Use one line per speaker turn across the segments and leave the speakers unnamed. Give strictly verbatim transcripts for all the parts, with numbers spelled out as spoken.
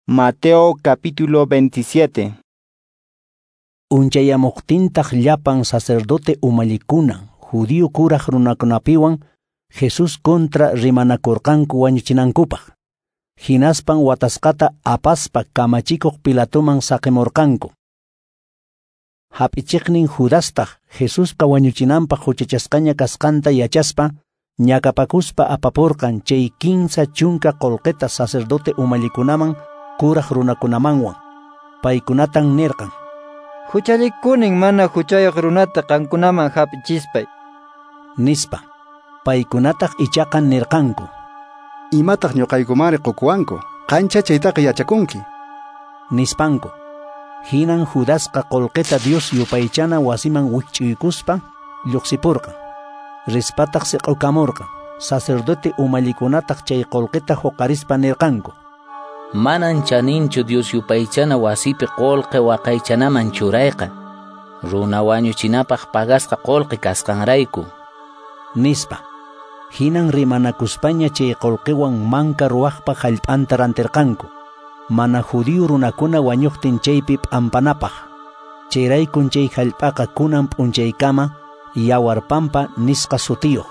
Mateo capítulo veintisiete.
Unchayamuqtintaq llapan sacerdote umallikuna, judío kuraq runakunapiwan Jesús contra rimanakurqanku wañuchinankupaq. Hinaspan watasqata apaspa kamachikuq Pilatoman saqimurqanku. Hap'ichiqnin Judastaq Jesuspa wañuchinanpaq huchachasqaña kasqanta yachaspa, ñakapakuspa apapurqan chay kinsa chunka qullqita sacerdote umallikunaman kuraq runakunamanwan. Paykunatan nirqan:
Huchallikunin mana huchayuq runata qankunaman hap'ichispay,
nispa. Paykunataq ichaqa nirqanku:
Imataq ñuqaykumari qukuwanku, qancha chaytaqa yachakunki,
nispanku. Hinan Judasqa qullqita Dios yupaychana wasiman wikch'uykuspa lluqsipurqan. Rispataq siq'ukamurqan. Sacerdote umallikunataq chay qullqita huqarispa nirqanku:
Manan chaninchu Dios yupaychana wasipi qullqi waqaychanaman churayqa, runa wañuchinapaq pagasqa qullqi kasqanrayku,
nispa. Hinan rimanakuspaña chay qullqiwan manka ruwaqpa hallp'anta rantirqanku, mana judío runakuna wañuqtin chaypi p'ampanapaq. Chayraykun chay hallp'aqa kunan p'unchaykama Yawarpampa nisqa sutiyuq.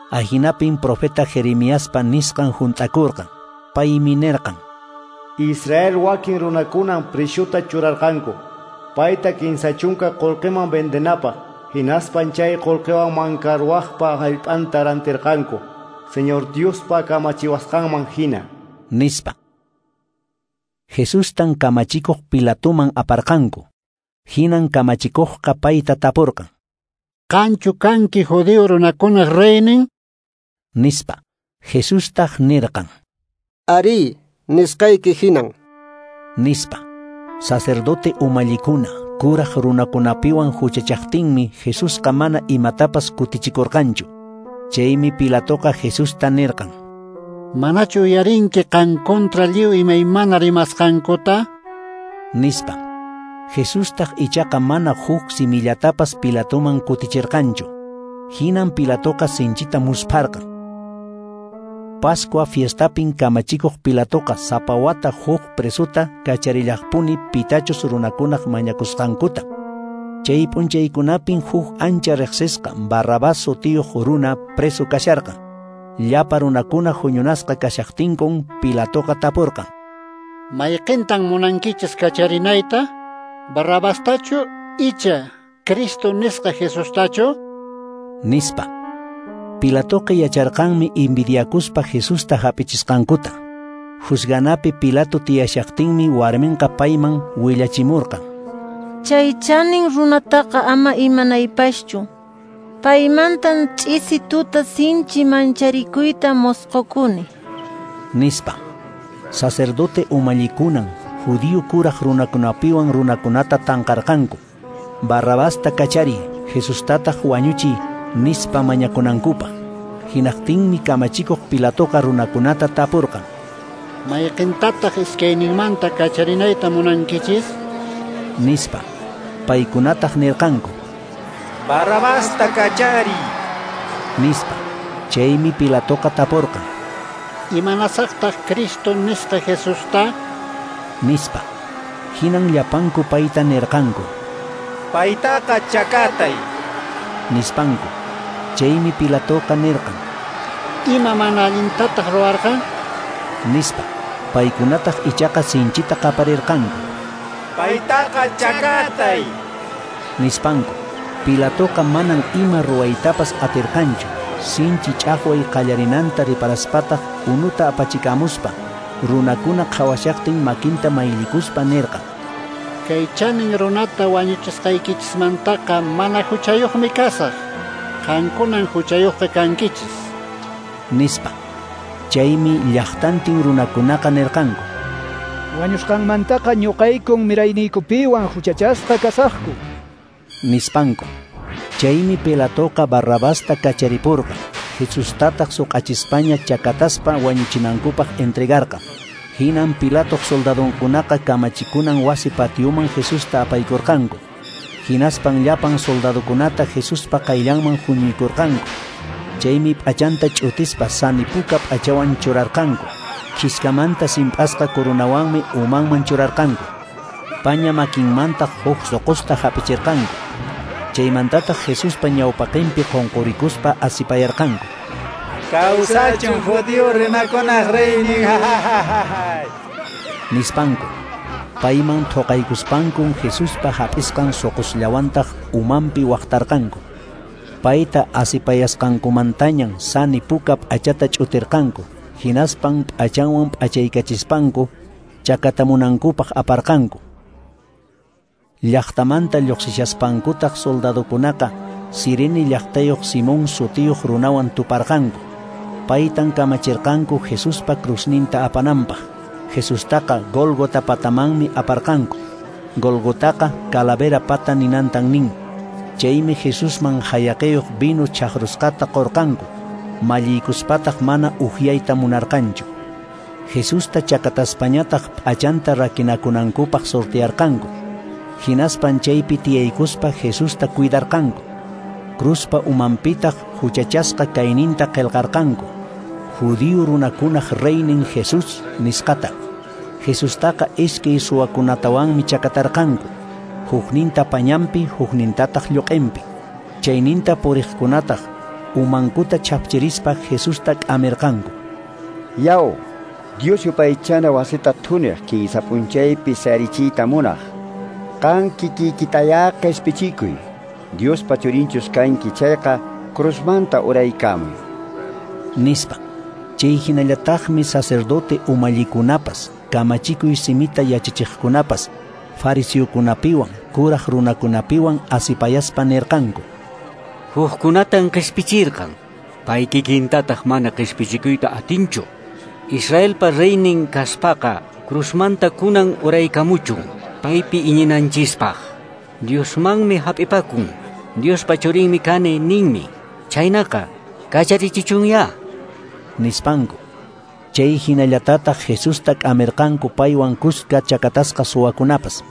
Ahinapin profeta Jeremiaspa nisqan hunt'akurqan. Paymi nirqan:
Israel wakin runakunan prishuta churarqanku, payta kinsa chunka qullqiman vendenapaq, hinaspan chay qullqiwan manka ruwaqpa hallp'anta rantirqanku, Señor Diospa kamachiwasqanman hina,
nispa. Jesustan kamachikuq Pilatoman aparqanku. Hinan kamachikuqqa payta tapurqan:
Qanchu kanki judío runakunaq reynin?
Nispa. Jesustaq nirqan:
Arí, nisqayki hinan,
nispa. Sacerdote umallikuna kuraq runakunapiwan huchachaqtinmi Jesusqa mana imatapas kutichikurqanchu. Chaymi Pilatoqa Jesusta nirqan:
Manachu uyarinki qan contra lliw imaymana rimasqankuta?
Nispa. Jesustaq ichaqa mana huk simillatapas Pilatoman kutichirqanchu. Hinan Pilatoqa sinchita muspharqan. Pascua fiestapin kamachikuq Pilatoqa sapa wata huk presuta kacharillaqpuni pitachus runakunaq mañakusqankuta. Chay p'unchaykunapin huk ancha riqsisqa Barrabás sutiyuq runa preso kasharqan. Llapa runakuna huñunasqa kashaqtinkun Pilatoqa tapurqan:
Mayqintan munankichis kacharinayta? Barrabastachu icha Cristo nisqa Jesustachu?
Nispa. Pilatoqa yacharqanmi envidiakuspa Jesusta hap'ichisqankuta. Juzganapi Pilato tiyashaqtinmi warminqa payman willachimurqan:
Chay chanin runataqa ama imanaypaschu. Paymantan ch'isi tuta sinchi mancharikuyta mosqokuni,
nispa. Sacerdote umallikunan judío kuraq runakunapiwan runakunata tanqarqanku: Barrabasta kachariy, Jesustataq wañuchiy, nispa mañakunankupaq. Hinaqtinmi kamachikuq Pilatoqa runakunata tapurqan:
Mayqintataq iskayninmanta kacharinayta munankichis?
Nispa. Paykunataq nirqanku:
Barrabasta kachariy,
nispa. Chaymi Pilatoqa tapurqan:
Imanasaqtaq Cristo nisqa Jesusta?
Nispa. Hinan llapanku payta nirqanku:
Paytaqa chakatay,
nispanku. Chaymi Pilatoqa nirqan:
Ima mana allintataq ruwarqan?
Nispa. Paykunataq ichaqa sinchita qaparirqanku:
Paytaqa chakatay,
nispanku. Pilatoqa manan ima ruwaytapas atirqanchu. Sinchi ch'aqway qallarinanta riparaspataq unuta apachikamuspa runakuna qhawashaqtin makinta mayllikuspa nirqan:
Kay chanin runata wañuchisqaykichismantaqa mana huchayuqmi kasaq. Qankunan huchayuqqa kankichis,
nispa. Chaymi llaqtantin runakunaqa nirqanku:
Wañusqanmantaqa ñuqaykun mirayniykupiwan huchachasqa kasaqku,
nispanku. Chaymi Pilatoqa Barrabasta kacharipurqan. Jesustataq suq'achispaña chakataspa wañuchinankupaq entregarqan. Hinan Pilatoq soldadonkunaqa kamachikunan wasi patioman Jesusta apaykurqanku. Hinaspan llapan soldadokunata Jesuspa qayllanman huñuykurqanku. Chaymi p'achanta ch'utispa sani puka p'achawan churarqanku. Khiskamanta simp'asqa coronawanmi umanman churarqanku. Paña makinmantaq huk soqosta hap'ichirqanku. Chaymantataq Jesuspa ñawpaqinpi qunqurikuspa asipayarqanku.
Kawsachun judío runakunaq reynin,
nispanku. Payman thoqaykuspankun Jesuspa hap'isqan soqosllawantaq umanpi waqtarqanku. Payta asipayasqankumantañan sani puka p'achata ch'utirqanku. Hinaspan p'achanwan p'achaykachispanku chakatamunankupaq aparqanku. Llaqtamanta lluqsishaspankutaq soldadokunaqa Sirene llaqtayuq Simón sutiyuq runawan tuparqanku. Paytan kamachirqanku Jesuspa cruzninta apananpaq. Jesustaqa Gólgota patamanmi aparqanku. Gólgotaqa calavera pata ninantan nin. Chaymi Jesusman hayaqiyuq vino chaqrusqata qorqanku. Malliykuspataq mana uhyayta munarqanchu. Jesusta chakataspañataq p'achanta rakinakunankupaq sortearqanku. Hinaspan chaypi tiyaykuspa Jesusta cuidarqanku. Cruzpa umanpitaq huchachasqa kayninta qillqarqanku. Judío runakunaq reynin Jesús nisqata. Jesustaqa iskay suwakunatawanmi chakatarqanku. Hukninta pañanpi, huknintataq lluq'inpi. Chayninta puriqkunataq umankuta chapchirispa Jesusta k'amirqanku.
Yaw, Dios yupaychana wasita thuniq kinsa p'unchaypi sayarichiyta munaq. Qan kikiykitayá qhispichikuy. Diospa churinchus kanki chayqa cruzmanta uraykamuy,
nispa. Chay hinallataqmi sacerdote umallikunapas, kamachikuy simita yachachiqkunapas, fariseokunapiwan, kuraq runakunapiwan asipayaspa nirqanku.
Hukkunatan qhispichirqan, pay kikintataq mana qhispichikuyta atinchu. Israelpa reynin kaspaqa cruzmanta kunan uraykamuchun, paypi iñinanchispaq. Diosmanmi hap'ipakun, Diospa churinmi kani ninmi. Chaynaqa kacharichichunya,
nispanku. Chay hinallatataq Jesusta k'amirqanku paywan kuska chakatasqa suwakunapas.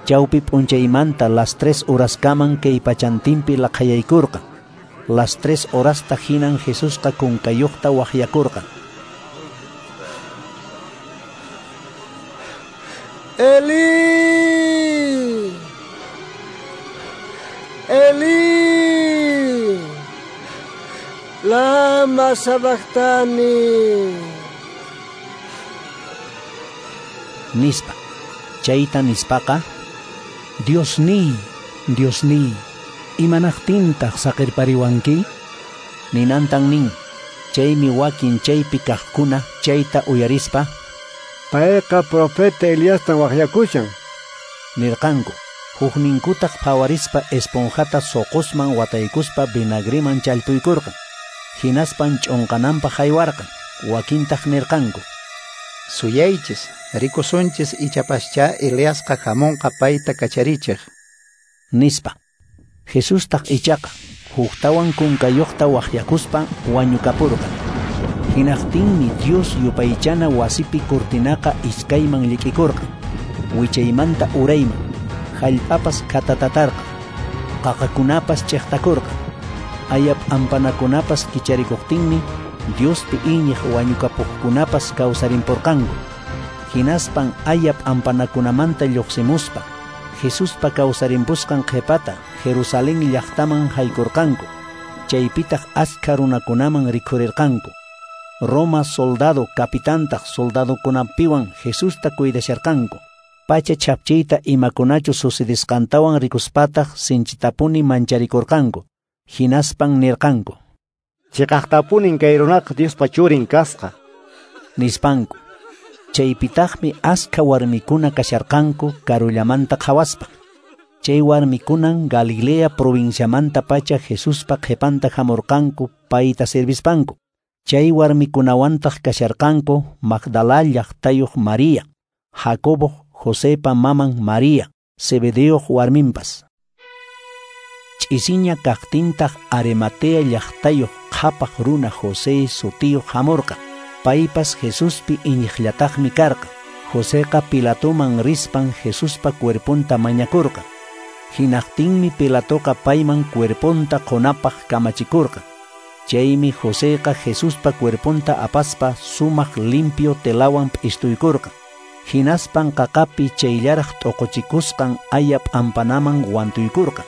Chawpi p'unchaymanta las tres horaskaman kay pachantinpi laqhayaykurqan. Las tres horasta hinan Jesusqa kunkayuqta waqyakurqan.
Eli, Eli, lama sabachthani,
nispa. Chayta nispaqa, Diosniy, Diosniy, imanaqtintaq saqirpariwanki? Ninantan nin. Chaymi wakin chaypi kaqkuna chayta uyarispa,
payqa profeta Eliastan waqyakushan,
nirqanku. Hukninkutaq phawarispa esponjata soqosman wataykuspa vinagreman challpuykurqan. Hinaspan ch'unqananpaq haywarqan. Wakintaq nirqanku:
Suyaychis, rikusunchis ichapascha Eliasqa hamunqa payta kacharichiq,
nispa. Jesustaq ichaqa huktawan kunkayuqta waqyakuspa wañukapurqan. Hinaqtinmi Dios yupaychana wasipi cortinaqa iskayman llik'ikurqan, wichaymanta urayman. Hallp'apas khatatatarqan, qaqakunapas chiqtakurqan. Aya p'ampanakunapas kicharikuqtinmi Diospi iñiq wañukapuqkunapas kawsarinpurqanku. Hinaspan aya p'ampanakunamanta lluqsimuspa Jesuspa kawsarimpusqan qhipata Jerusalén llaqtaman haykurqanku. Chaypitaq askha runakunaman rikhurirqanku. Roma soldado capitantaq soldadokunapiwan Jesusta cuidasharqanku. Pacha chapchiyta imakunachu sucedisqantawan rikuspataq sinchitapuni mancharikurqanku. Hinaspan nirqanku:
Chiqaqtapunin kay runaqa Diospa churin kasqa,
nispanku. Chaypitaqmi askha warmikuna kasharqanku karullamanta qhawaspa. Chay warmikunan Galilea provinciamanta pacha Jesuspa qhipanta hamurqanku payta servispanku. Chay warmikunawantaq kasharqanku Magdala llaqtayuq María, Jacobo Josepa maman María, Zebedeoq warminpas. Ch'isiña kaqtintaq Arimatea llaqtayuq qhapaq runa José sutiyuq hamurqan. Paypas Jesuspi iñiqllataqmi karqan. Joseqa Pilatoman rispan Jesuspa cuerponta mañakurqan. Hinaqtinmi Pilatoqa payman cuerponta qunapaq kamachikurqan. Chaymi Joseqa Jesuspa cuerponta apaspa sumaq limpio telawan p'istuykurqan. Hinaspan qaqapi chayllaraq t'uquchikusqan aya p'ampanaman wantuykurqan.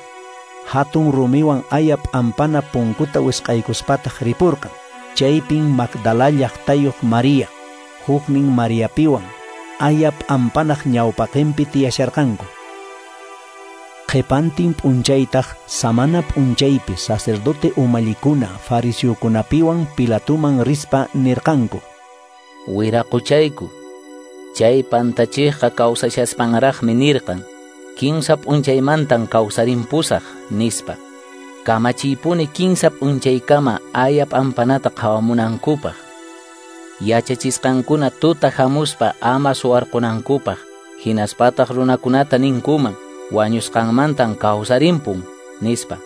Hatun rumiwan aya p'ampana punkuta wisq'aykuspataq ripurqan. Chaypin Magdala llaqtayuq María, huknin Mariapiwan, aya p'ampanaq ñawpaqinpi tiyasharqanku. Qhipantin p'unchaytaq samana p'unchaypi sacerdote umallikuna fariseokunapiwan Pilatoman rispa nirqanku:
Wiraquchayku, chay pantachiqqa kawsashaspanraqmi nirqan, kinsa p'unchaymantan kawsarimpusaq, nispa. Kamachiypuni kinsa p'unchaykama aya p'ampanata qhawamunankupaq. Yachachisqankuna tuta hamuspa ama suwarqunankupaq, hinaspataq runakunata ninkuman, wañusqanmantan kawsarimpun, nispa.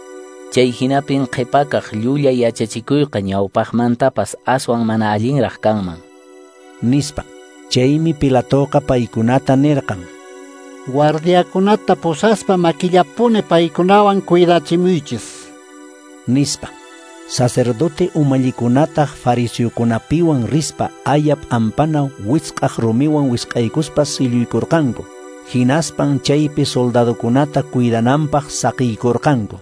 Chay hinapin qhipakaq llulla yachachikuyqa ñawpaqmantapas aswan mana allinraq kanman,
nispa. Chaymi Pilatoqa paykunata nirqan:
Guardiakunata pusaspa makillapuni paykunawan cuidachimuychis,
nispa. Sacerdote umallikunataq fariseokunapiwan rispa aya p'ampana wisq'aq rumiwan wisq'aykuspa silluykurqanku. Hinaspan chaypi soldadokunata cuidananpaq saqiykurqanku.